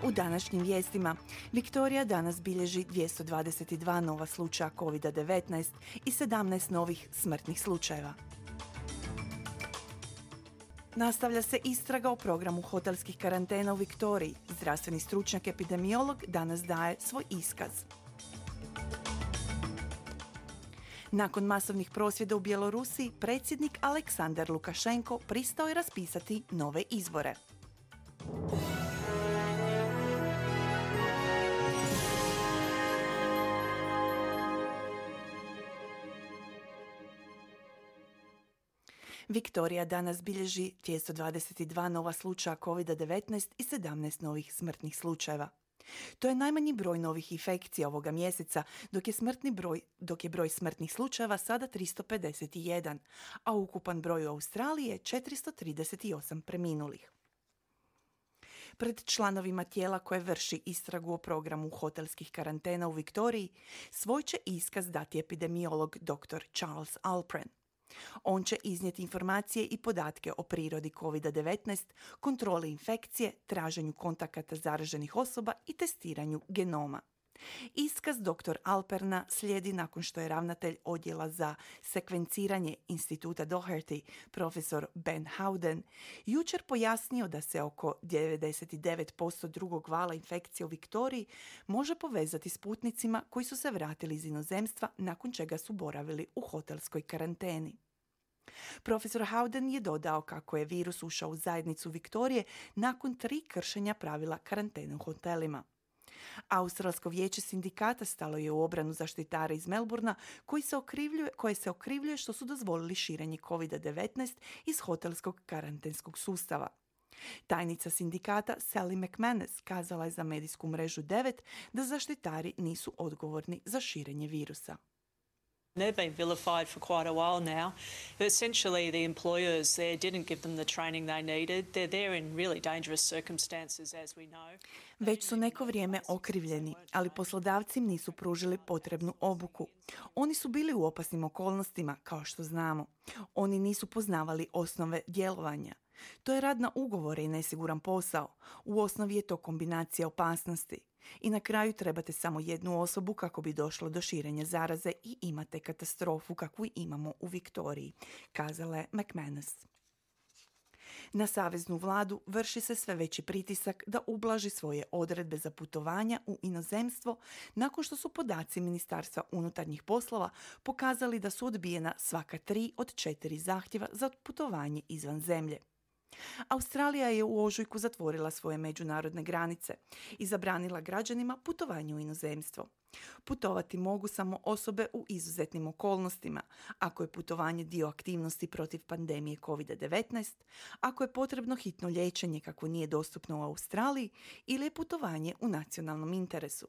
U današnjim vijestima, Viktorija danas bilježi 222 nova slučaja COVID-19 i 17 novih smrtnih slučajeva. Nastavlja se istraga o programu hotelskih karantena u Viktoriji. Zdravstveni stručnjak epidemiolog danas daje svoj iskaz. Nakon masovnih prosvjeda u Bjelorusiji, predsjednik Aleksandar Lukašenko pristao je raspisati nove izbore. Viktorija danas bilježi 222 nova slučaja COVID-19 i 17 novih smrtnih slučajeva. To je najmanji broj novih infekcija ovoga mjeseca, dok je broj smrtnih slučajeva sada 351, a ukupan broj u Australiji je 438 preminulih. Pred članovima tijela koje vrši istragu o programu hotelskih karantena u Viktoriji, svoj će iskaz dati epidemiolog dr. Charles Alpern. On će iznijeti informacije i podatke o prirodi COVID-19, kontroli infekcije, traženju kontakata zaraženih osoba i testiranju genoma. Iskaz dr. Alperna slijedi nakon što je ravnatelj odjela za sekvenciranje Instituta Doherty, profesor Ben Howden, jučer pojasnio da se oko 99% drugog vala infekcije u Viktoriji može povezati s putnicima koji su se vratili iz inozemstva nakon čega su boravili u hotelskoj karanteni. Profesor Howden je dodao kako je virus ušao u zajednicu Viktorije nakon 3 kršenja pravila karantene u hotelima. Australsko vijeće sindikata stalo je u obranu zaštitara iz Melbourna koje se okrivljuje što su dozvolili širenje COVID-19 iz hotelskog karantenskog sustava. Tajnica sindikata Sally McManus kazala je za medijsku mrežu 9 da zaštitari nisu odgovorni za širenje virusa. They've been vilified for quite a while now. Essentially, the employers there didn't give them the training they needed. They're there in really dangerous circumstances, as we know. Već su neko vrijeme okrivljeni, ali poslodavci im nisu pružili potrebnu obuku. Oni su bili u opasnim okolnostima, kao što znamo. Oni nisu poznavali osnove djelovanja. To je rad na ugovore i nesiguran posao. U osnovi je to kombinacija opasnosti. I na kraju trebate samo jednu osobu kako bi došlo do širenja zaraze i imate katastrofu kakvu imamo u Viktoriji, kazala je McManus. Na saveznu vladu vrši se sve veći pritisak da ublaži svoje odredbe za putovanja u inozemstvo nakon što su podaci Ministarstva unutarnjih poslova pokazali da su odbijena svaka 3 od 4 zahtjeva za putovanje izvan zemlje. Australija je u ožujku zatvorila svoje međunarodne granice i zabranila građanima putovanje u inozemstvo. Putovati mogu samo osobe u izuzetnim okolnostima, ako je putovanje dio aktivnosti protiv pandemije COVID-19, ako je potrebno hitno liječenje kako nije dostupno u Australiji ili je putovanje u nacionalnom interesu.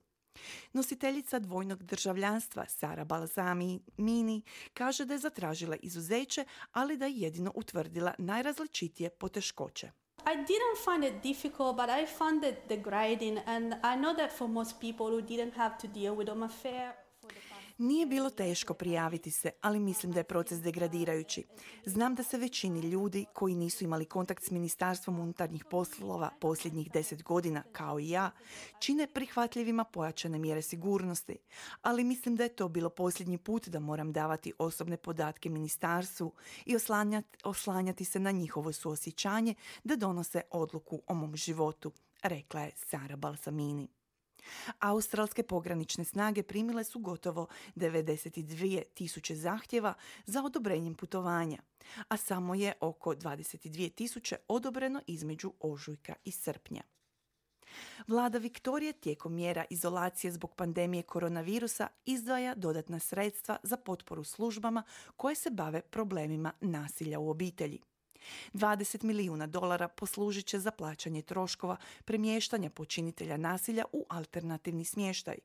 Nositeljica dvojnog državljanstva Sara Balzamini kaže da je zatražila izuzeće, ali da je jedino utvrdila najrazličitije poteškoće. I didn't find it difficult, but I found it degrading, and I know that for most people who didn't have to deal with an affair. Nije bilo teško prijaviti se, ali mislim da je proces degradirajući. Znam da se većini ljudi koji nisu imali kontakt s Ministarstvom unutarnjih poslova posljednjih 10 godina, kao i ja, čine prihvatljivima pojačane mjere sigurnosti. Ali mislim da je to bilo posljednji put da moram davati osobne podatke ministarstvu i oslanjati se na njihovo suosjećanje da donose odluku o mom životu, rekla je Sara Balzamini. Australske pogranične snage primile su gotovo 92.000 zahtjeva za odobrenjem putovanja, a samo je oko 22.000 odobreno između ožujka i srpnja. Vlada Viktorije tijekom mjera izolacije zbog pandemije koronavirusa izdvaja dodatna sredstva za potporu službama koje se bave problemima nasilja u obitelji. $20 milijuna poslužit će za plaćanje troškova premještanja počinitelja nasilja u alternativni smještaj,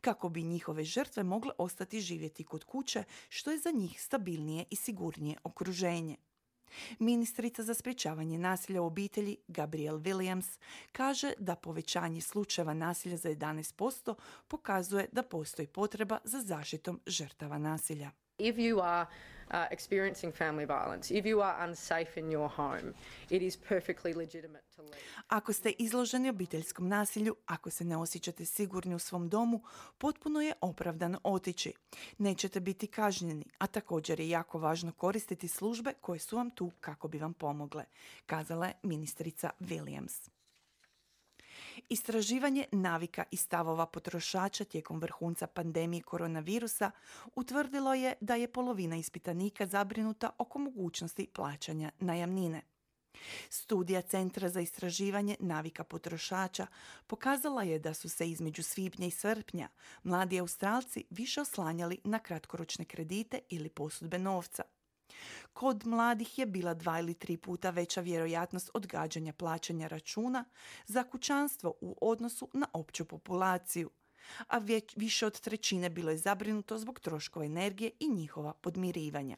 kako bi njihove žrtve mogle ostati živjeti kod kuće, što je za njih stabilnije i sigurnije okruženje. Ministrica za sprječavanje nasilja u obitelji Gabrielle Williams kaže da povećanje slučajeva nasilja za 11% pokazuje da postoji potreba za zaštitom žrtava nasilja. If you are experiencing family violence, if you are unsafe in your home, it is perfectly legitimate to leave. Ako ste izloženi obiteljskom nasilju, ako se ne osjećate sigurni u svom domu, potpuno je opravdano otići. Nećete biti kažnjeni, a također je jako važno koristiti službe koje su vam tu kako bi vam pomogle, kazala je ministrica Williams. Istraživanje navika i stavova potrošača tijekom vrhunca pandemije koronavirusa utvrdilo je da je polovina ispitanika zabrinuta oko mogućnosti plaćanja najamnine. Studija Centra za istraživanje navika potrošača pokazala je da su se između svibnja i srpnja mladi Australci više oslanjali na kratkoročne kredite ili posudbe novca. Kod mladih je bila 2 ili 3 puta veća vjerojatnost odgađanja plaćanja računa za kućanstvo u odnosu na opću populaciju, a više od 1/3 bilo je zabrinuto zbog troškova energije i njihova podmirivanja.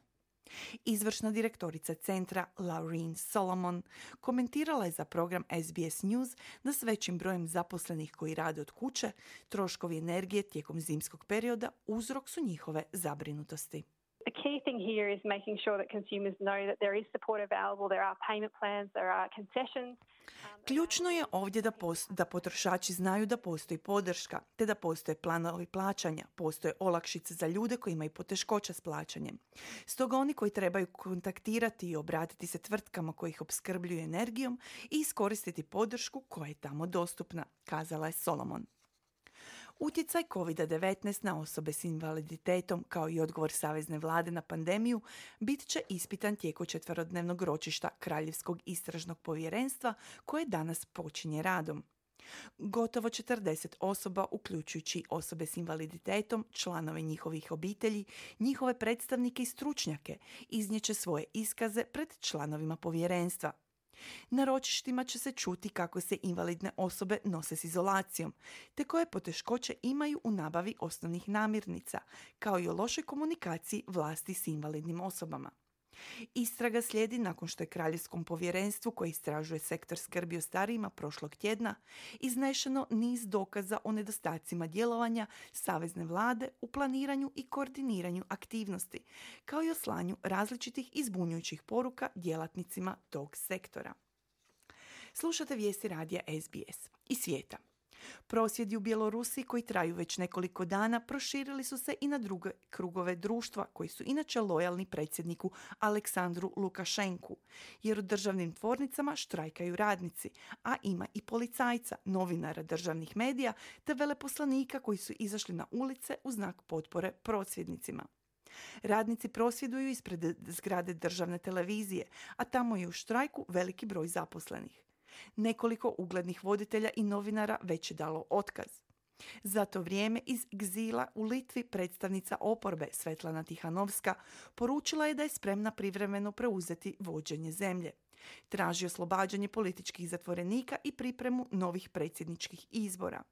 Izvršna direktorica centra Laureen Solomon komentirala je za program SBS News da s većim brojem zaposlenih koji rade od kuće, troškovi energije tijekom zimskog perioda uzrok su njihove zabrinutosti. The key thing here is making sure that consumers know that there is support available, there are payment plans, there are concessions. Ključno je ovdje da potrošači znaju da postoji podrška, te da postoje planovi plaćanja, postoje olakšice za ljude koji imaju poteškoća s plaćanjem. Stoga oni koji trebaju kontaktirati i obratiti se tvrtkama koji ih opskrbljuju energijom i iskoristiti podršku koja je tamo dostupna, kazala je Solomon. Utjecaj COVID-19 na osobe s invaliditetom kao i odgovor savezne vlade na pandemiju bit će ispitan tijekom 4-dnevnog ročišta Kraljevskog istražnog povjerenstva koje danas počinje radom. Gotovo 40 osoba, uključujući osobe s invaliditetom, članove njihovih obitelji, njihove predstavnike i stručnjake, iznijeće svoje iskaze pred članovima povjerenstva. Na ročištima će se čuti kako se invalidne osobe nose s izolacijom, te koje poteškoće imaju u nabavi osnovnih namirnica, kao i o lošoj komunikaciji vlasti s invalidnim osobama. Istraga slijedi nakon što je Kraljevskom povjerenstvu koje istražuje sektor skrbi o starijima prošlog tjedna iznešeno niz dokaza o nedostacima djelovanja savezne vlade u planiranju i koordiniranju aktivnosti, kao i o slanju različitih i zbunjujućih poruka djelatnicima tog sektora. Slušate vijesti radija SBS i svijeta. Prosvjedi u Bjelorusiji koji traju već nekoliko dana proširili su se i na druge krugove društva koji su inače lojalni predsjedniku Aleksandru Lukašenku, jer u državnim tvornicama štrajkaju radnici, a ima i policajca, novinara državnih medija te veleposlanika koji su izašli na ulice u znak potpore prosvjednicima. Radnici prosvjeduju ispred zgrade državne televizije, a tamo je u štrajku veliki broj zaposlenih. Nekoliko uglednih voditelja i novinara već je dalo otkaz. Za to vrijeme iz egzila u Litvi predstavnica oporbe Svetlana Tihanovska poručila je da je spremna privremeno preuzeti vođenje zemlje. Traži oslobađanje političkih zatvorenika i pripremu novih predsjedničkih izbora.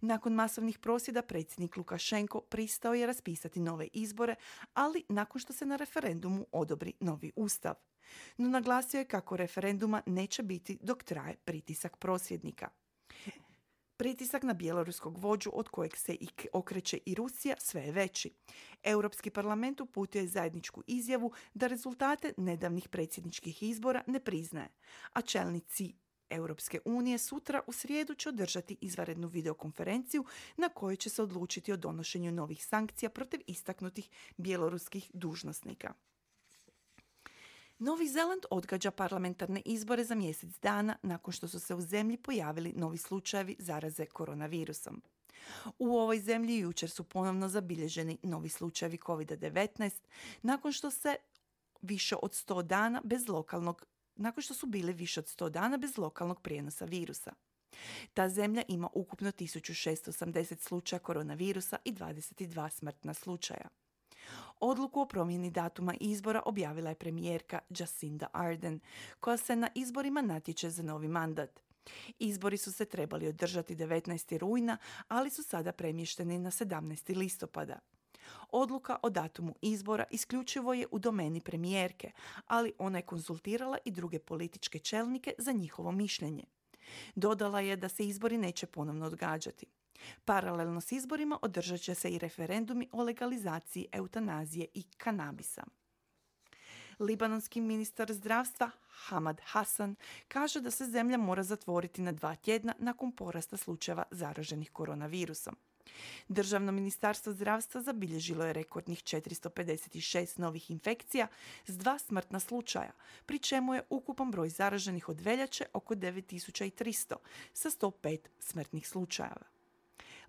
Nakon masovnih prosvjeda predsjednik Lukašenko pristao je raspisati nove izbore, ali nakon što se na referendumu odobri novi ustav. No naglasio je kako referenduma neće biti dok traje pritisak prosvjednika. Pritisak na bjeloruskog vođu od kojeg se okreće i Rusija sve je veći. Europski parlament uputio je zajedničku izjavu da rezultate nedavnih predsjedničkih izbora ne priznaje, a čelnici Europske unije sutra u srijedu će održati izvanrednu videokonferenciju na kojoj će se odlučiti o donošenju novih sankcija protiv istaknutih bjeloruskih dužnosnika. Novi Zeland odgađa parlamentarne izbore za mjesec dana nakon što su se u zemlji pojavili novi slučajevi zaraze koronavirusom. U ovoj zemlji jučer su ponovno zabilježeni novi slučajevi COVID-19 nakon što su bili više od 100 dana bez lokalnog prijenosa virusa. Ta zemlja ima ukupno 1680 slučaja koronavirusa i 22 smrtna slučaja. Odluku o promjeni datuma izbora objavila je premijerka Jacinda Ardern, koja se na izborima natječe za novi mandat. Izbori su se trebali održati 19. rujna, ali su sada premješteni na 17. listopada. Odluka o datumu izbora isključivo je u domeni premijerke, ali ona je konzultirala i druge političke čelnike za njihovo mišljenje. Dodala je da se izbori neće ponovno odgađati. Paralelno s izborima održat će se i referendumi o legalizaciji eutanazije i kanabisa. Libanonski ministar zdravstva Hamad Hassan kaže da se zemlja mora zatvoriti na 2 tjedna nakon porasta slučajeva zaraženih koronavirusom. Državno ministarstvo zdravstva zabilježilo je rekordnih 456 novih infekcija s 2 smrtna slučaja, pri čemu je ukupan broj zaraženih od veljače oko 9300 sa 105 smrtnih slučajeva.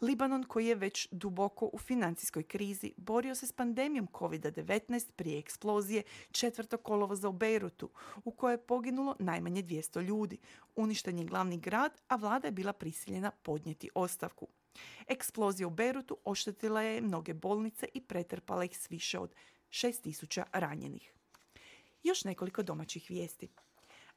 Libanon, koji je već duboko u financijskoj krizi, borio se s pandemijom COVID-19 prije eksplozije 4. kolovoza u Bejrutu, u kojoj je poginulo najmanje 200 ljudi. Uništen je glavni grad, a vlada je bila prisiljena podnijeti ostavku. Eksplozija u Bejrutu oštetila je mnoge bolnice i pretrpala ih s više od 6000 ranjenih. Još nekoliko domaćih vijesti.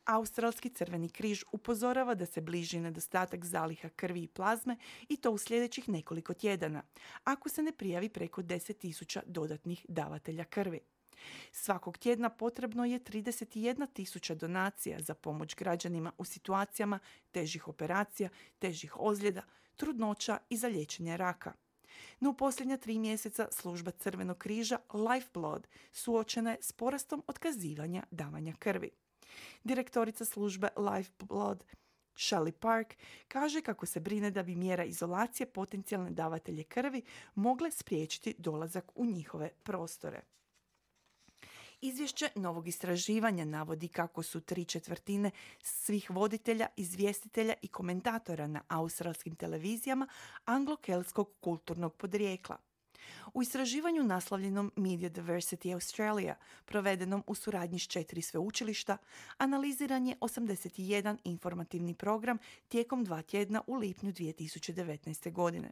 Australski Crveni križ upozorava da se bliži nedostatak zaliha krvi i plazme i to u sljedećih nekoliko tjedana, ako se ne prijavi preko 10.000 dodatnih davatelja krvi. Svakog tjedna potrebno je 31.000 donacija za pomoć građanima u situacijama težih operacija, težih ozljeda, trudnoća i za liječenje raka. No u posljednja 3 mjeseca služba Crvenog križa Lifeblood suočena je s porastom otkazivanja davanja krvi. Direktorica službe Lifeblood Shelley Park kaže kako se brine da bi mjera izolacije potencijalne davatelje krvi mogle spriječiti dolazak u njihove prostore. Izvješće novog istraživanja navodi kako su 3/4 svih voditelja, izvjestitelja i komentatora na australskim televizijama anglo-keltskog kulturnog podrijekla. U istraživanju naslovljenom Media Diversity Australia, provedenom u suradnji s 4 sveučilišta, analiziran je 81 informativni program tijekom 2 tjedna u lipnju 2019. godine.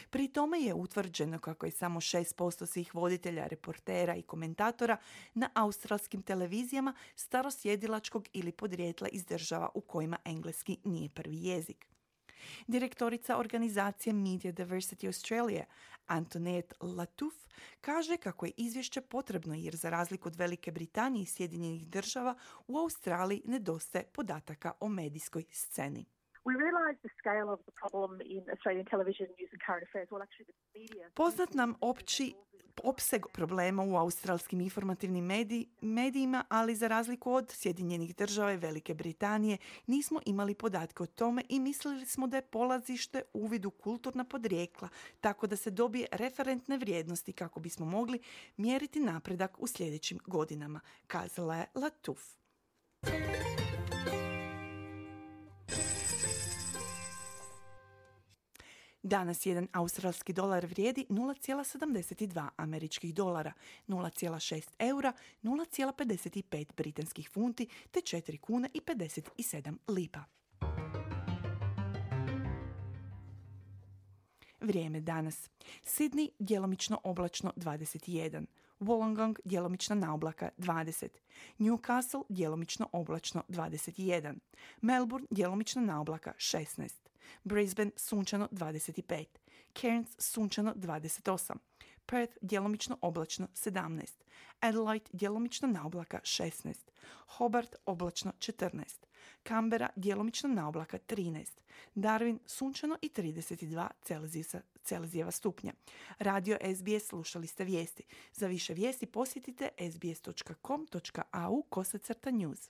Pri tome je utvrđeno kako je samo 6% svih voditelja, reportera i komentatora na australskim televizijama starosjedilačkog ili podrijetla iz država u kojima engleski nije prvi jezik. Direktorica organizacije Media Diversity Australia, Antoinette Lattouf, kaže kako je izvješće potrebno jer za razliku od Velike Britanije i Sjedinjenih država u Australiji nedostaje podataka o medijskoj sceni. Poznat nam opći opseg problema u australskim informativnim medijima, ali za razliku od Sjedinjenih država i Velike Britanije nismo imali podatke o tome i mislili smo da je polazište uvid u kulturna podrijekla, tako da se dobije referentne vrijednosti kako bismo mogli mjeriti napredak u sljedećim godinama, kazala je Lattouf. Danas jedan australski dolar vrijedi 0,72 američkih dolara, 0,6 eura, 0,55 britanskih funti te 4 kune i 57 lipa. Vrijeme danas. Sydney djelomično oblačno 21. Wollongong djelomična naoblaka 20. Newcastle djelomično oblačno 21. Melbourne djelomična naoblaka 16. Brisbane sunčano 25. Cairns sunčano 28. Perth djelomično oblačno 17. Adelaide djelomično naoblaka 16. Hobart oblačno 14. Canberra djelomično naoblaka 13. Darwin sunčano i 32 Celzijeva stupnja. Radio SBS slušali ste vijesti. Za više vijesti posjetite sbs.com.au/news.